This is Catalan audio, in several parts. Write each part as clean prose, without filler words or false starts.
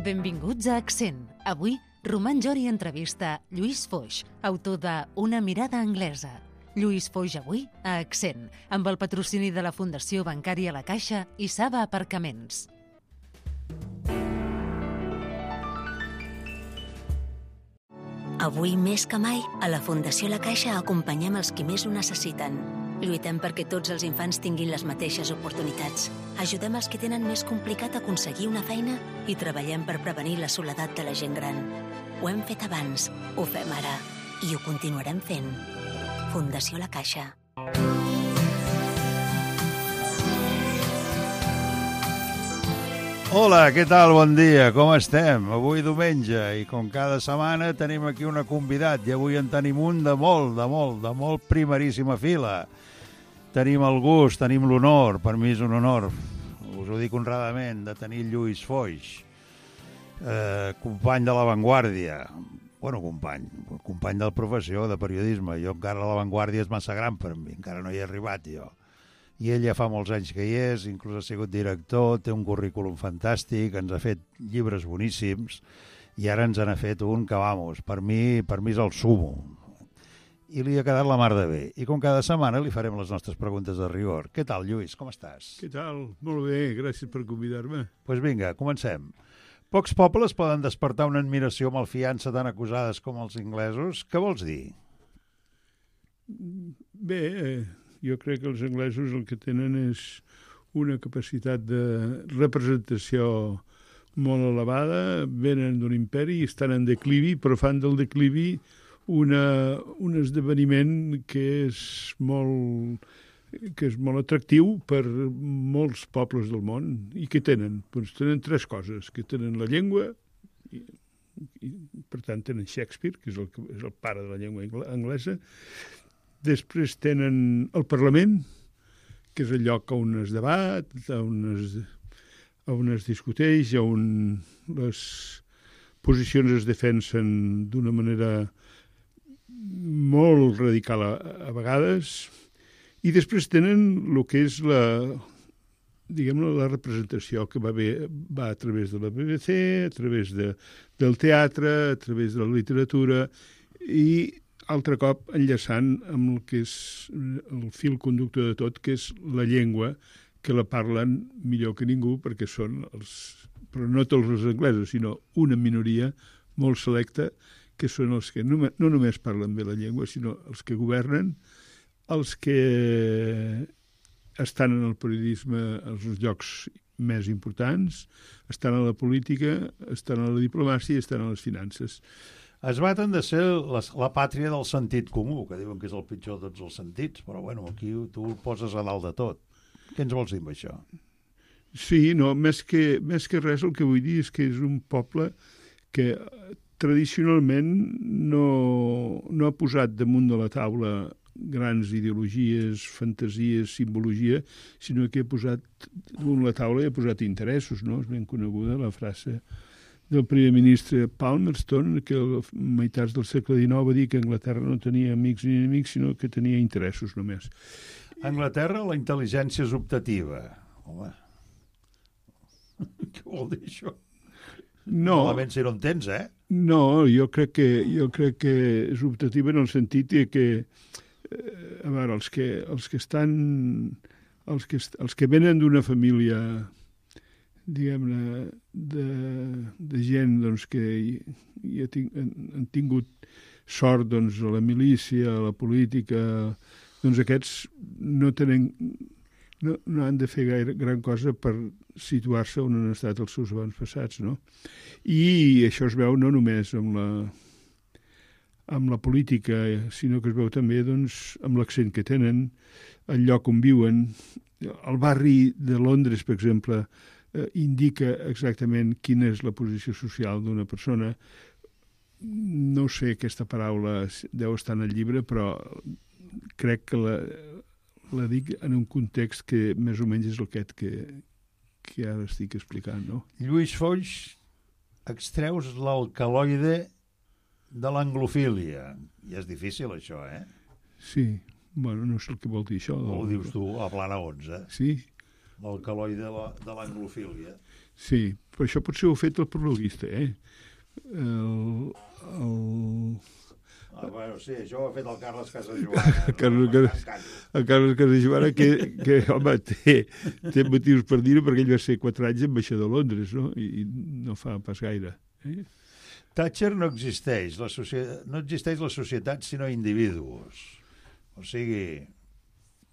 Benvinguts a Accent. Avui, Roman Jori entrevista Lluís Foix, autor de Una mirada anglesa. Lluís Foix avui a Accent, amb el patrocini de la Fundació Bancària La Caixa i Saba Aparcaments. Avui més que mai, a la Fundació La Caixa acompanyem els qui més ho necessiten. Lluitem perquè tots els infants tinguin les mateixes oportunitats. Ajudem els que tenen més complicat aconseguir una feina i treballem per prevenir la soledat de la gent gran. Ho hem fet abans, ho fem ara i ho continuarem fent. Fundació La Caixa. Hola, què tal? Bon dia, com estem? Avui diumenge i com cada setmana tenim aquí una convidat i avui en tenim un de molt primeríssima fila. Tenim el gust, tenim l'honor, per mi és un honor, us ho dic honradament, de tenir Lluís Foix, company de La Vanguardia. Bueno, company de la professió, de periodisme. Jo encara La Vanguardia és massa gran per mi, encara no hi he arribat jo. I ell ja fa molts anys que hi és, inclús ha sigut director, té un currículum fantàstic, ens ha fet llibres boníssims i ara ens n'ha fet un que, vamos, per mi és el sumo. I li ha quedat la mar de bé. I com cada setmana li farem les nostres preguntes de rigor. Què tal, Lluís? Com estàs? Què tal? Molt bé, gràcies per convidar-me. Doncs vinga, comencem. Pocs pobles poden despertar una admiració malfiança tan acusades com els inglesos. Què vols dir? Bé, jo crec que els anglesos el que tenen és una capacitat de representació molt elevada, venen d'un imperi, estan en declivi, però fan del declivi un esdeveniment que és molt atractiu per molts pobles del món. I què tenen? Doncs tenen tres coses, que tenen la llengua, i per tant tenen Shakespeare, que és el pare de la llengua anglesa. Després tenen el Parlament, que és el lloc on es debat, on es discuteix, on les posicions es defensen d'una manera molt radical a vegades, i després tenen el que és la representació que va a través de la BBC, a través del teatre, a través de la literatura, i altre cop enllaçant amb el que és el fil conductor de tot, que és la llengua, que la parlen millor que ningú, perquè són però no tots els anglesos, sinó una minoria molt selecta, que són els que no només parlen bé la llengua, sinó els que governen, els que estan en el periodisme als llocs més importants, estan a la política, estan a la diplomàcia i estan a les finances. Es baten de ser la pàtria del sentit comú, que diuen que és el pitjor de tots els sentits, però bueno, aquí tu el poses a dalt de tot. Què ens vols dir amb això? Sí, no, més que res el que vull dir és que és un poble que tradicionalment no ha posat damunt de la taula grans ideologies, fantasies, simbologia, sinó que ha posat damunt la taula i ha posat interessos, no? És ben coneguda la frase del primer ministre Palmerston, que a meitats del segle XIX va dir que Anglaterra no tenia amics ni enemics, sinó que tenia interessos només. A Anglaterra la intel·ligència és optativa. Home, què vol dir això? No. Malament si no en tens, eh? No, jo crec que és optativa en el sentit que a veure, els que venen d'una família, diguem-ne, de gent doncs, que han tingut sort doncs, a la milícia, a la política, doncs aquests no han de fer gran cosa per situar-se on han estat els seus avantpassats, no? I això es veu no només amb la política, sinó que es veu també doncs, amb l'accent que tenen, el lloc on viuen. El barri de Londres, per exemple, indica exactament quina és la posició social d'una persona. No sé, aquesta paraula deu estar en el llibre, però crec que la dic en un context que més o menys és aquest que ara estic explicant, no? Lluís Foix, extreus l'alcaloide de l'anglofília. I és difícil, això, eh? Sí. Bueno, no sé el que vol dir això. Ho dius tu, a plana 11. Sí. L'alcaloide de l'anglofília. Sí, però això potser ho ha fet el prologuista, Bueno, sí, això ho ha fet el Carles Casajoana. El Carles Casajoana, que home, té motius per dir-ho, perquè ell va ser 4 anys ambaixador a Londres, no? I no fa pas gaire. Thatcher no existeix. No existeix la societat, sinó individus. O sigui,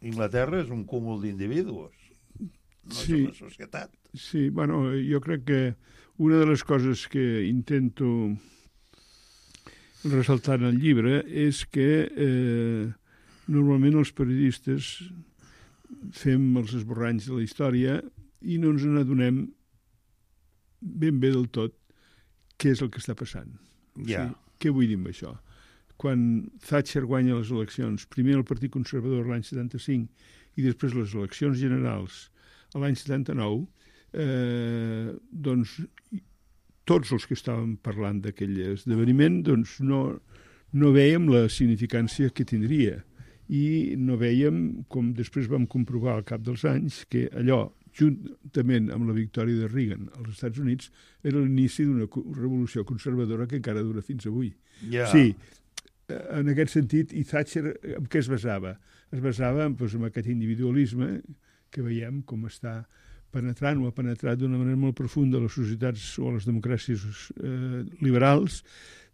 Inglaterra és un cúmul d'individus. No és una societat. Sí, bueno, jo crec que una de les coses que intento ressaltar en el llibre és que normalment els periodistes fem els esborranys de la història i no ens n'adonem ben bé del tot què és el que està passant. O sigui, què vull dir amb això? Quan Thatcher guanya les eleccions, primer el Partit Conservador l'any 75 i després les eleccions generals a l'any 79, doncs tots els que estàvem parlant d'aquell esdeveniment doncs no vèiem la significància que tindria i no vèiem, com després vam comprovar al cap dels anys, que allò, juntament amb la victòria de Reagan als Estats Units, era l'inici d'una revolució conservadora que encara dura fins avui. Sí, en aquest sentit, i Thatcher en què es basava? Es basava doncs, en aquest individualisme que veiem com està penetrant o ha penetrat d'una manera molt profunda a les societats o a les democràcies liberals,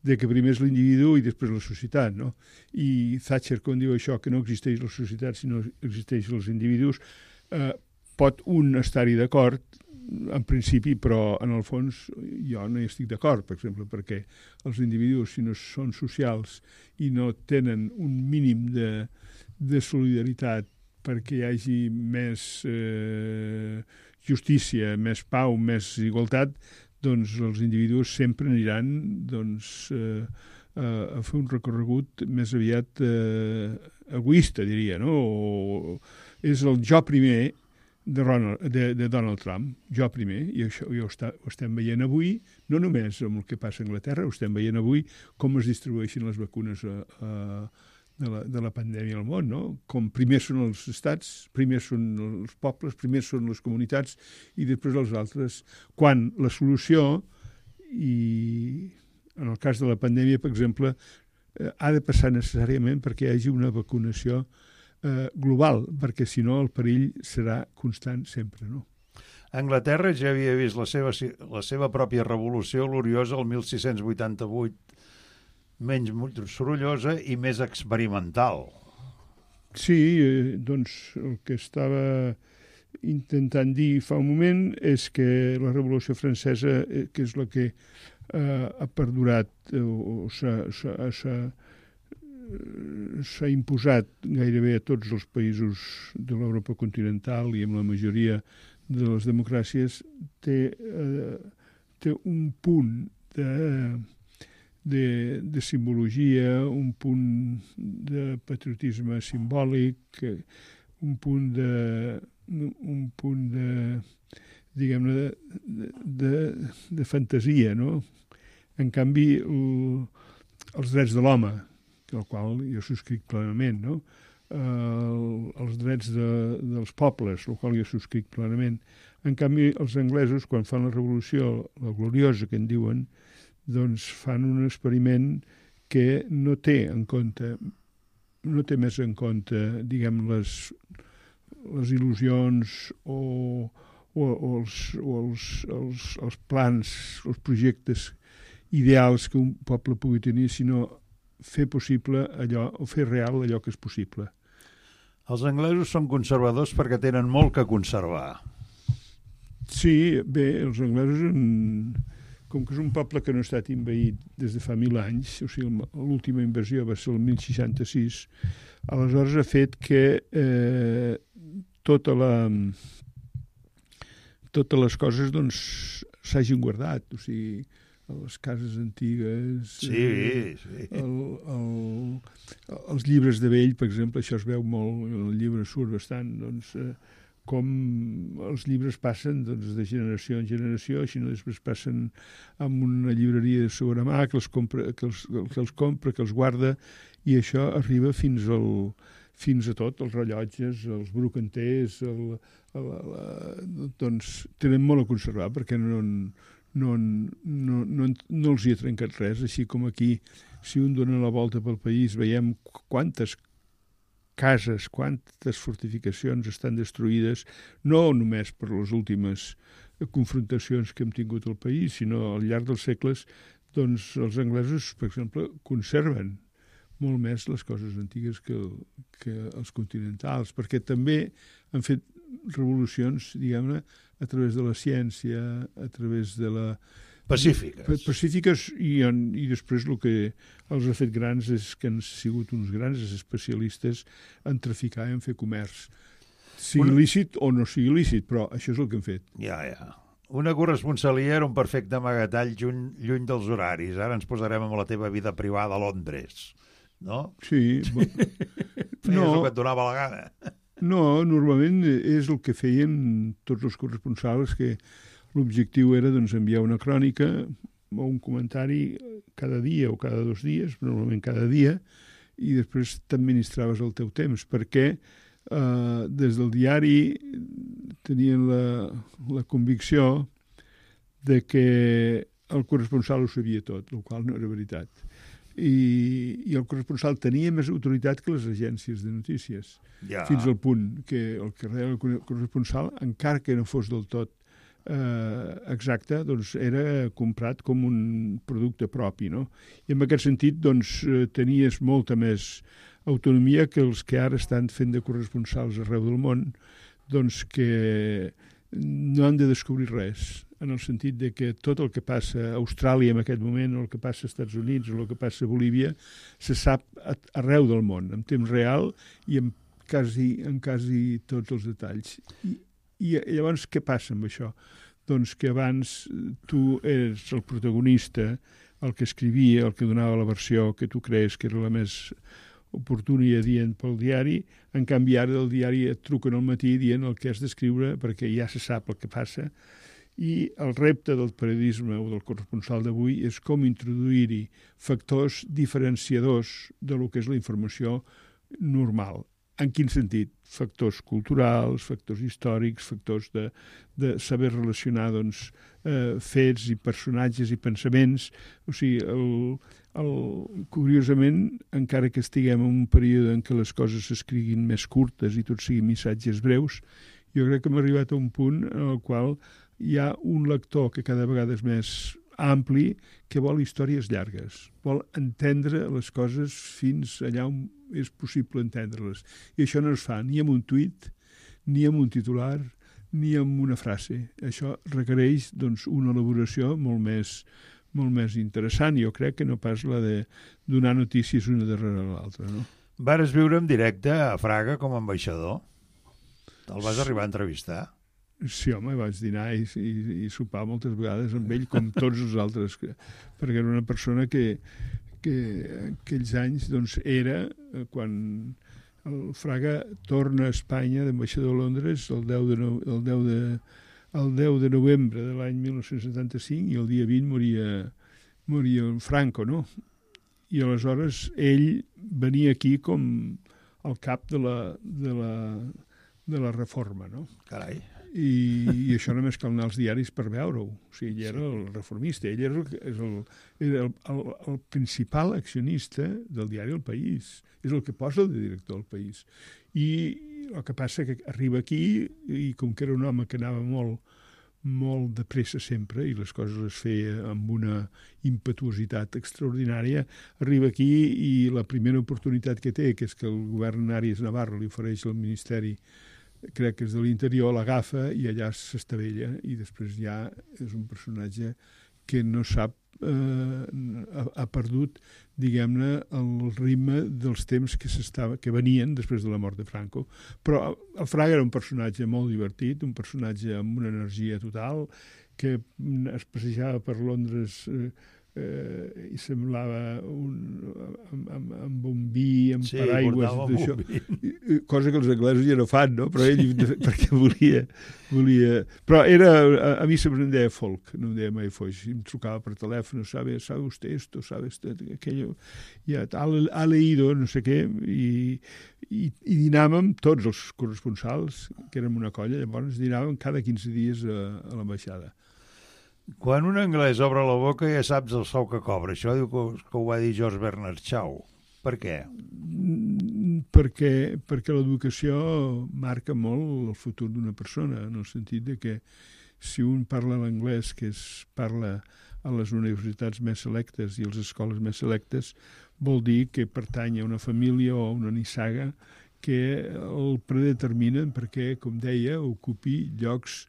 de que primer és l'individu i després la societat, no? I Thatcher, quan diu això, que no existeix la societat sinó existeixen els individus, pot un estar-hi d'acord, en principi, però en el fons jo no hi estic d'acord, per exemple, perquè els individus, si no són socials i no tenen un mínim de solidaritat perquè hi hagi més justícia, més pau, més igualtat, doncs els individus sempre aniran a fer un recorregut més aviat egoista, diria, no? És el jo primer de Donald Trump, jo primer, i això ho estem veient avui, no només amb el que passa a Anglaterra, ho estem veient avui com es distribueixen les vacunes de la pandèmia al món, no? Com primer són els estats, primer són els pobles, primer són les comunitats i després els altres. Quan la solució, i en el cas de la pandèmia, per exemple, ha de passar necessàriament perquè hi hagi una vacunació global, perquè si no el perill serà constant sempre, no? Anglaterra ja havia vist la seva pròpia revolució gloriosa el 1688, menys sorollosa i més experimental. Sí, doncs el que estava intentant dir fa un moment és que la Revolució Francesa, que és la que ha perdurat o s'ha imposat gairebé a tots els països de l'Europa continental i amb la majoria de les democràcies, té un punt de simbologia, un punt de patriotisme simbòlic, un punt de diguem-ne, de fantasia, no? En canvi, els drets de l'home, el qual jo subscric plenament, no? Els drets dels pobles, el qual jo subscric plenament. En canvi, els anglesos, quan fan la revolució, la gloriosa que en diuen, doncs fan un experiment que no té més en compte, diguem, les il·lusions o els plans, els projectes ideals que un poble pugui tenir, sinó fer possible allò, o fer real allò que és possible. Els anglesos són conservadors perquè tenen molt que conservar. Sí, bé, els anglesos, com que és un poble que no ha estat invaït des de fa 1000 anys, o sigui, l'última invasió va ser el 1066, aleshores ha fet que totes les coses doncs s'hagin guardat, o sigui, les cases antigues, els llibres de vell, per exemple, això es veu molt, el llibre surt bastant, doncs, com els llibres passen doncs, de generació en generació, si no després passen amb una llibreria de segona mà que els compra, que els guarda, i això arriba fins fins a tot, els rellotges, els brocanters, doncs tenen molt a conservar perquè no els hi ha trencat res, així com aquí, si un dona la volta pel país, veiem quantes cases, quantes fortificacions estan destruïdes, no només per les últimes confrontacions que hem tingut al país, sinó al llarg dels segles, doncs els anglesos, per exemple, conserven molt més les coses antigues que els continentals, perquè també han fet revolucions, diguem-ne, a través de la ciència, a través de la... Pacífiques, i després el que els ha fet grans és que han sigut uns grans especialistes en traficar i en fer comerç. Sigui lícit o no sigui lícit, però això és el que han fet. Ja. Una corresponsalia era un perfecte amagatall lluny dels horaris. Ara ens posarem amb la teva vida privada a Londres, no? Sí. Feies el que et donava la gana. No, normalment és el que feien tots els corresponsals, que l'objectiu era doncs, enviar una crònica o un comentari cada dia o cada 2 dies, normalment cada dia, i després t'administraves el teu temps, perquè des del diari tenien la convicció de que el corresponsal ho sabia tot, el qual no era veritat. I el corresponsal tenia més autoritat que les agències de notícies, fins al punt que el que reia el corresponsal, encara que no fos del tot exacte, doncs era comprat com un producte propi, no? I en aquest sentit, doncs, tenies molta més autonomia que els que ara estan fent de corresponsals arreu del món, doncs que no han de descobrir res, en el sentit de que tot el que passa a Austràlia en aquest moment, o el que passa als Estats Units, o el que passa a Bolívia, se sap arreu del món, en temps real i en quasi tots els detalls. I llavors què passa amb això? Doncs que abans tu eres el protagonista, el que escrivia, el que donava la versió que tu creus que era la més oportuna i adient pel diari. En canvi, ara del diari et truquen al matí dient el que has d'escriure perquè ja se sap el que passa. I el repte del periodisme o del corresponsal d'avui és com introduir-hi factors diferenciadors de lo que és la informació normal. En quin sentit? Factors culturals, factors històrics, factors de saber relacionar doncs, fets i personatges i pensaments. O sigui, curiosament, encara que estiguem en un període en què les coses s'escriguin més curtes i tot siguin missatges breus, jo crec que hem arribat a un punt en el qual hi ha un lector que cada vegada és més ampli, que vol històries llargues, vol entendre les coses fins allà on és possible entendre-les. I això no es fa ni amb un tuit, ni amb un titular, ni amb una frase. Això requereix doncs, una elaboració molt més interessant. Jo crec que no pas la de donar notícies una darrere l'altra. No? Vares viure en directe a Fraga com a ambaixador? El vas arribar a entrevistar? Sí, home, vaig dinar i sopar moltes vegades amb ell, com tots els altres, perquè era una persona que aquells anys doncs, era, quan el Fraga torna a Espanya d'ambaixador a Londres el 10 de novembre de l'any 1975 i el dia 20 moria el Franco, no? I aleshores ell venia aquí com el cap de la reforma, no? Carai. I això només cal anar als diaris per veure-ho. O sigui, ell era el reformista, ell era el principal accionista del diari El País, és el que posa el director del País. I el que passa que arriba aquí, i com que era un home que anava molt de pressa sempre, i les coses les feia amb una impetuositat extraordinària, arriba aquí i la primera oportunitat que té, que és que el govern Arias Navarro li ofereix al Ministeri, crec que és de l'Interior, l'agafa i allà s'estavella, i després ja és un personatge que no sap, ha perdut, diguem-ne, el ritme dels temps que venien després de la mort de Franco. Però el Fraga era un personatge molt divertit, un personatge amb una energia total, que es passejava per Londres i semblava amb un vi, amb paraigües, d'això, cosa que els anglesos ja no fan, no? Però ell, perquè volia... Però a mi sempre em deia folk, no em deia mai Foix, em trucava per telèfon, sabe usted esto, sabe usted aquello, ja ha leído, no sé què, i dinàvem tots els corresponsals, que érem una colla, llavors dinàvem cada 15 dies a l'ambaixada. Quan un anglès obre la boca ja saps el sou que cobra. Això diu que ho va dir George Bernard Shaw. Per què? Perquè l'educació marca molt el futur d'una persona, en el sentit de que si un parla l'anglès, que es parla a les universitats més selectes i a les escoles més selectes, vol dir que pertany a una família o a una nissaga que el predeterminen perquè, com deia, ocupi llocs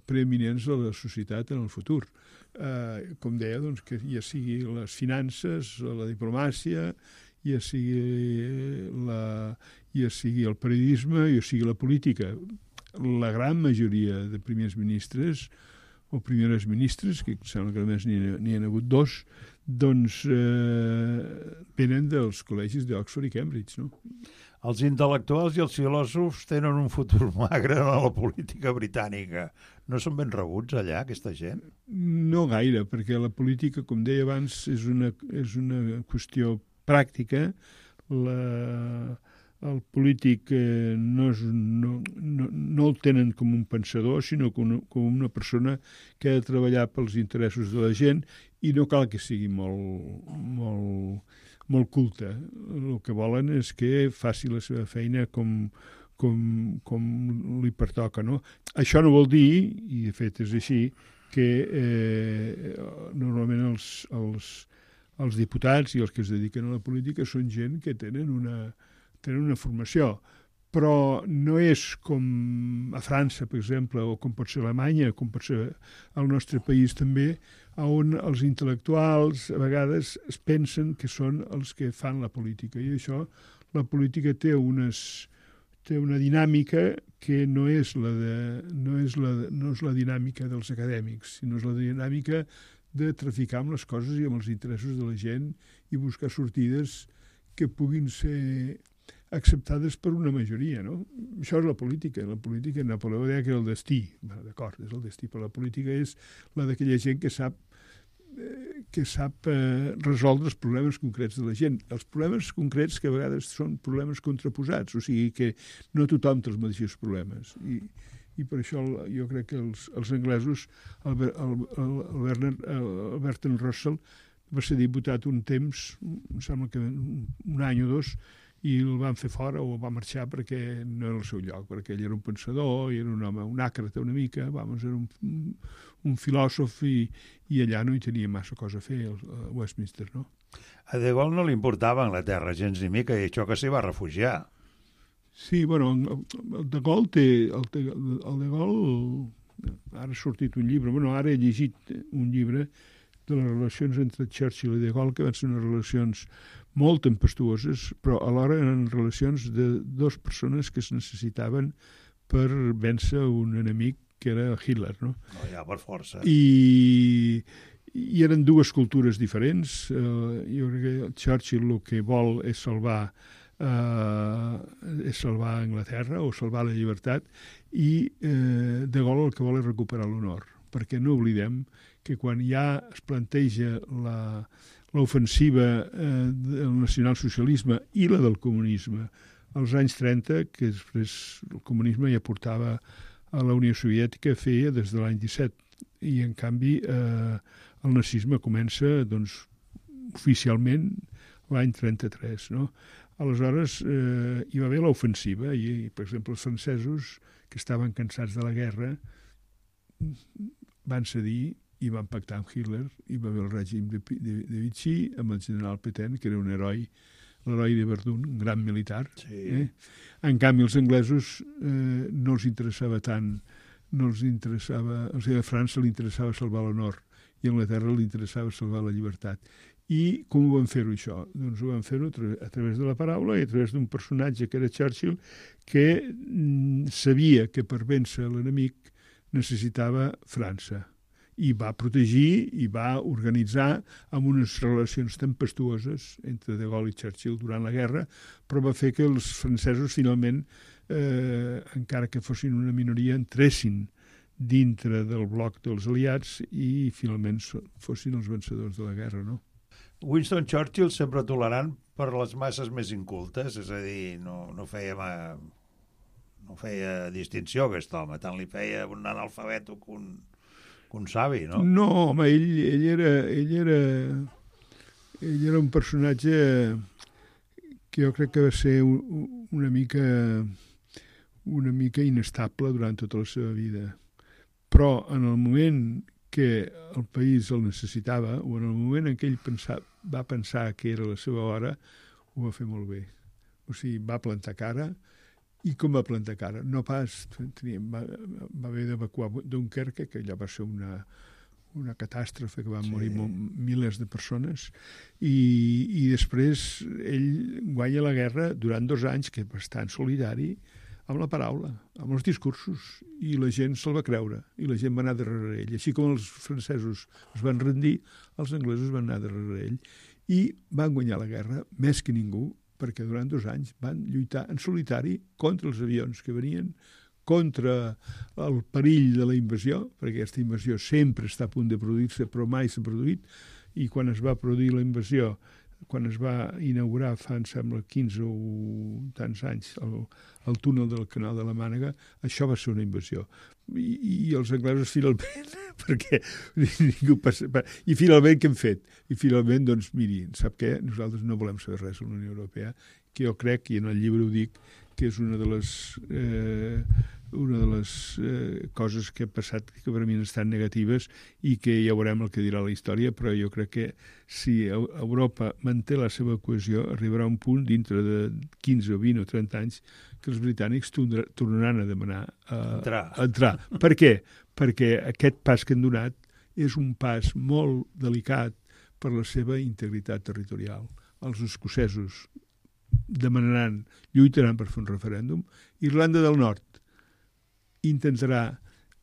preeminents de la societat en el futur. Com deia, doncs, que ja sigui les finances, la diplomàcia, ja sigui el periodisme, ja sigui la política. La gran majoria de primers ministres o primeres ministres, que sembla que només n'hi ha hagut 2, doncs venen dels col·legis d'Oxford i Cambridge, no? Els intel·lectuals i els filòsofs tenen un futur magre a la política britànica. No són ben rebuts allà, aquesta gent? No gaire, perquè la política, com deia abans, és una qüestió pràctica. El polític no el tenen com un pensador, sinó com una persona que ha de treballar pels interessos de la gent i no cal que sigui molt culta. El que volen és que faci la seva feina com li pertoca, no? Això no vol dir, i de fet és així, que normalment els diputats i els que es dediquen a la política són gent que tenen una formació, però no és com a França, per exemple, o com pot ser Alemanya, com pot ser el nostre país també, on els intel·lectuals a vegades es pensen que són els que fan la política. I això, la política té una dinàmica que no és la dinàmica dels acadèmics, sinó és la dinàmica de traficar amb les coses i amb els interessos de la gent i buscar sortides que puguin ser acceptades per una majoria, no? Això és la política. La política, Napoleó deia que era el destí. Bé, d'acord, és el destí, però la política és la d'aquella gent que sap resoldre els problemes concrets de la gent. Els problemes concrets que a vegades són problemes contraposats, o sigui que no tothom té els mateixos problemes. I per això jo crec que els anglesos, el Bertrand Russell va ser diputat un temps, em sembla que un any o 2, i el van fer fora o va marxar perquè no era el seu lloc, perquè ell era un pensador, i era un home, un àcrata una mica, era un filòsof i allà no hi tenia massa cosa a fer, a Westminster, no? A De Gaulle no li importava Anglaterra gens ni mica, i això que s'hi va refugiar. Sí, bueno, el De Gaulle té... El De Gaulle... Ara ha sortit un llibre, ara he llegit un llibre de les relacions entre Churchill i De Gaulle, que van ser unes relacions molt tempestuoses, però alhora eren relacions de dues persones que es necessitaven per vèncer un enemic que era Hitler, no? No, ja per força. I eren dues cultures diferents. Jo crec que Churchill el que vol és salvar Anglaterra o salvar la llibertat, i De Gaulle el que vol és recuperar l'honor, perquè no oblidem que quan ja es planteja l'ofensiva del nacionalsocialisme i la del comunisme als anys 30, que després el comunisme ja portava a la Unió Soviètica, feia des de l'any 17, i en canvi el nazisme comença doncs, oficialment l'any 33, no? Aleshores hi va haver l'ofensiva i, per exemple, els francesos, que estaven cansats de la guerra, van cedir i van pactar amb Hitler, i va haver el règim de Vichy amb el general Pétain, que era un heroi, l'heroi de Verdun, un gran militar. Sí. En canvi, els anglesos no els interessava tant, o sigui, a França li interessava salvar l'honor i a Anglaterra li interessava salvar la llibertat. I com ho van fer-ho, això? Doncs ho van fer-ho a través de la paraula i a través d'un personatge que era Churchill, que sabia que per vèncer l'enemic necessitava França i va protegir i va organitzar amb unes relacions tempestuoses entre De Gaulle i Churchill durant la guerra, però va fer que els francesos finalment, encara que fossin una minoria, entressin dintre del bloc dels aliats i finalment fossin els vencedors de la guerra, no? Winston Churchill sempre tolerant per les masses més incultes, és a dir, no feia distinció aquest home, tant li feia un analfabet que un savi, no? No, home, ell era un personatge que jo crec que va ser una mica inestable durant tota la seva vida. Però en el moment que el país el necessitava, o en el moment en què ell va pensar que era la seva hora, ho va fer molt bé. O sigui, va plantar cara. I com va plantar cara? No pas... Va haver d'evacuar Dunkerque, que allò va ser una catàstrofe, que van morir milers de persones, i després ell guanya la guerra durant 2 anys, que és bastant solidari, amb la paraula, amb els discursos, i la gent se'l va creure, i la gent va anar darrere ell. Així com els francesos es van rendir, els anglesos van anar darrere ell, i van guanyar la guerra més que ningú, perquè durant 2 anys van lluitar en solitari contra els avions que venien, contra el perill de la invasió, perquè aquesta invasió sempre està a punt de produir-se, però mai s'ha produït, i quan es va produir la invasió, quan es va inaugurar fa, em sembla, 15 o tants anys el túnel del Canal de la Mànega, això va ser una invasió. I els anglesos finalment, perquè ningú passa... I finalment què hem fet? I finalment, doncs, miri, sap què? Nosaltres no volem saber res de la Unió Europea, que jo crec, i en el llibre ho dic, que és una de les coses que ha passat que per mi han estat negatives i que ja veurem el que dirà la història, però jo crec que si Europa manté la seva cohesió arribarà a un punt dintre de 15 o 20 o 30 anys que els britànics tornaran a demanar entrar. Per què? Perquè aquest pas que han donat és un pas molt delicat per la seva integritat territorial. Els escocesos lluitaran per fer un referèndum. Irlanda del Nord intentarà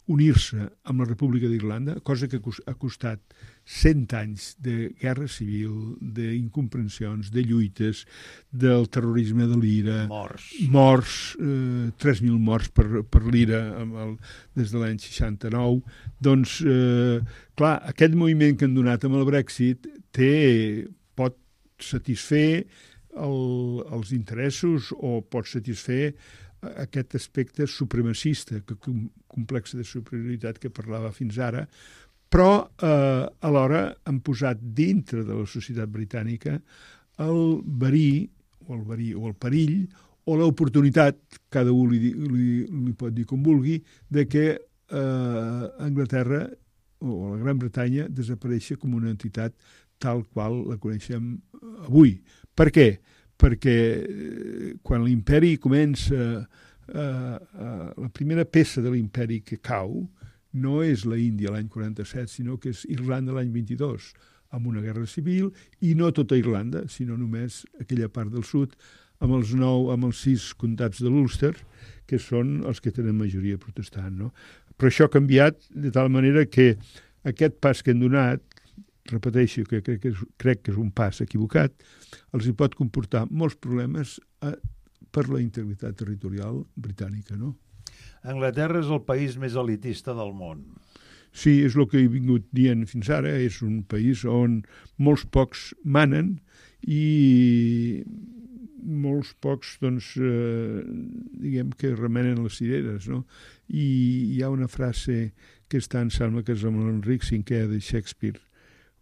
unir-se amb la República d'Irlanda, cosa que ha costat 100 anys de guerra civil, d'incomprensions, de lluites, del terrorisme de l'IRA, morts, 3.000 morts per l'IRA des de l'any 69. Doncs, clar, aquest moviment que han donat amb el Brexit pot satisfer els interessos o pot satisfer aquest aspecte supremacista, complex de superioritat que parlava fins ara, però alhora han posat dintre de la societat britànica el verí o el perill o l'oportunitat, cada un li pot dir com vulgui, de que Anglaterra o la Gran Bretanya desapareixi com una entitat tal qual la coneixem avui. Per què? Perquè quan l'imperi comença, la primera peça de l'imperi que cau no és la Índia l'any 47, sinó que és Irlanda l'any 22, amb una guerra civil, i no tota Irlanda, sinó només aquella part del sud, amb els 6 comtats de l'Ulster, que són els que tenen majoria protestant, no? Però això ha canviat de tal manera que aquest pas que han donat, repeteixo que crec que és un pas equivocat, els hi pot comportar molts problemes per la integritat territorial britànica, no? Anglaterra és el país més elitista del món. Sí, és el que he vingut dient fins ara, és un país on molts pocs manen i molts pocs, doncs, diguem que remenen les cireres, no? I hi ha una frase que està, em sembla que és amb l'Enric V de Shakespeare,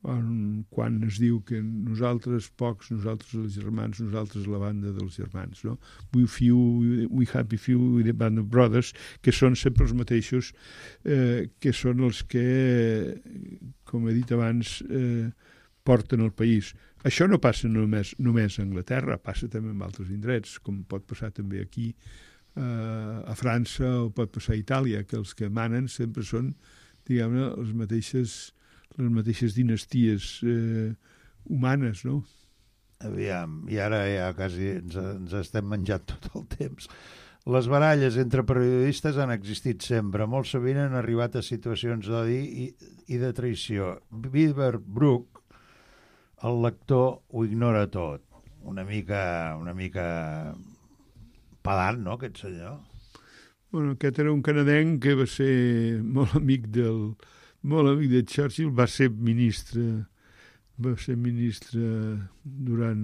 quan es diu que nosaltres pocs, nosaltres els germans, nosaltres la banda dels germans, no? We happy few, the band of brothers, que són sempre els mateixos, que són els que, com he dit abans, porten el país. Això no passa només a Anglaterra, passa també en altres indrets, com pot passar també aquí a França o pot passar a Itàlia, que els que manen sempre són, diguem-ne, les mateixes dinasties humanes, no? Aviam, i ara ja quasi ens estem menjant tot el temps. Les baralles entre periodistes han existit sempre. Molt sovint han arribat a situacions d'odi i de traïció. Beaverbrook, el lector, ho ignora tot. Una mica pedant, no, aquest senyor? Bueno, aquest era un canadenc que va ser molt amic de Churchill, va ser ministre durant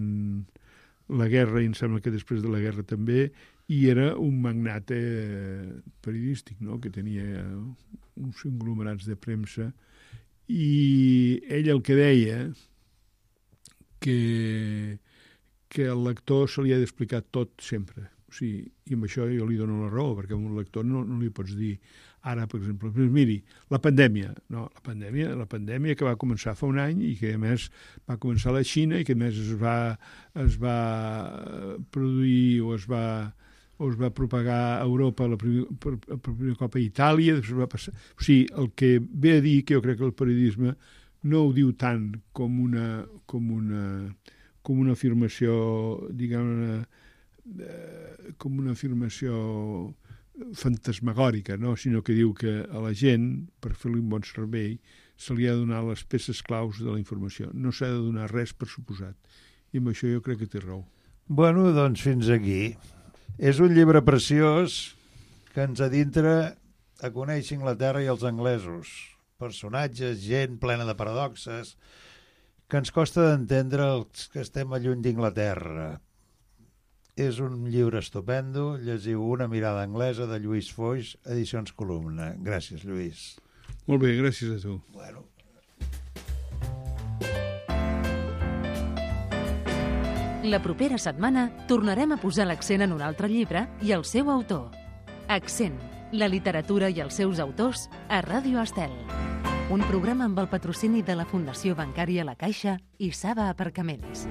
la guerra, i em sembla que després de la guerra també, i era un magnate periodístic, no?, que tenia uns conglomerats de premsa, i ell el que deia que al lector se li ha d'explicar tot sempre. O sigui, i amb això jo li dono la raó, perquè a un lector no li pots dir ara, per exemple, miri, la pandèmia que va començar fa un any i que a més va començar a la Xina i que a més es va produir o es va propagar a Europa per primer cop a Itàlia, després va passar... O sigui, el que ve a dir, que jo crec que el periodisme no ho diu tant com una afirmació, diguem-ne, com una afirmació fantasmagòrica, no? Sinó que diu que a la gent, per fer-li un bon servei, se li ha de donar les peces claus de la informació. No s'ha de donar res per suposat. I amb això jo crec que té raó. Bueno, doncs fins aquí. És un llibre preciós que ens adintra a conèixer Anglaterra i els anglesos. Personatges, gent plena de paradoxes, que ens costa d'entendre els que estem a lluny d'Inglaterra. És un llibre estupendo. Llegiu Una mirada anglesa, de Lluís Foix, Edicions Columna. Gràcies, Lluís. Molt bé, gràcies a tu. Bueno. La propera setmana tornarem a posar l'accent en un altre llibre i el seu autor. Accent, la literatura i els seus autors a Ràdio Estel. Un programa amb el patrocini de la Fundació Bancària La Caixa i Saba Aparcaments.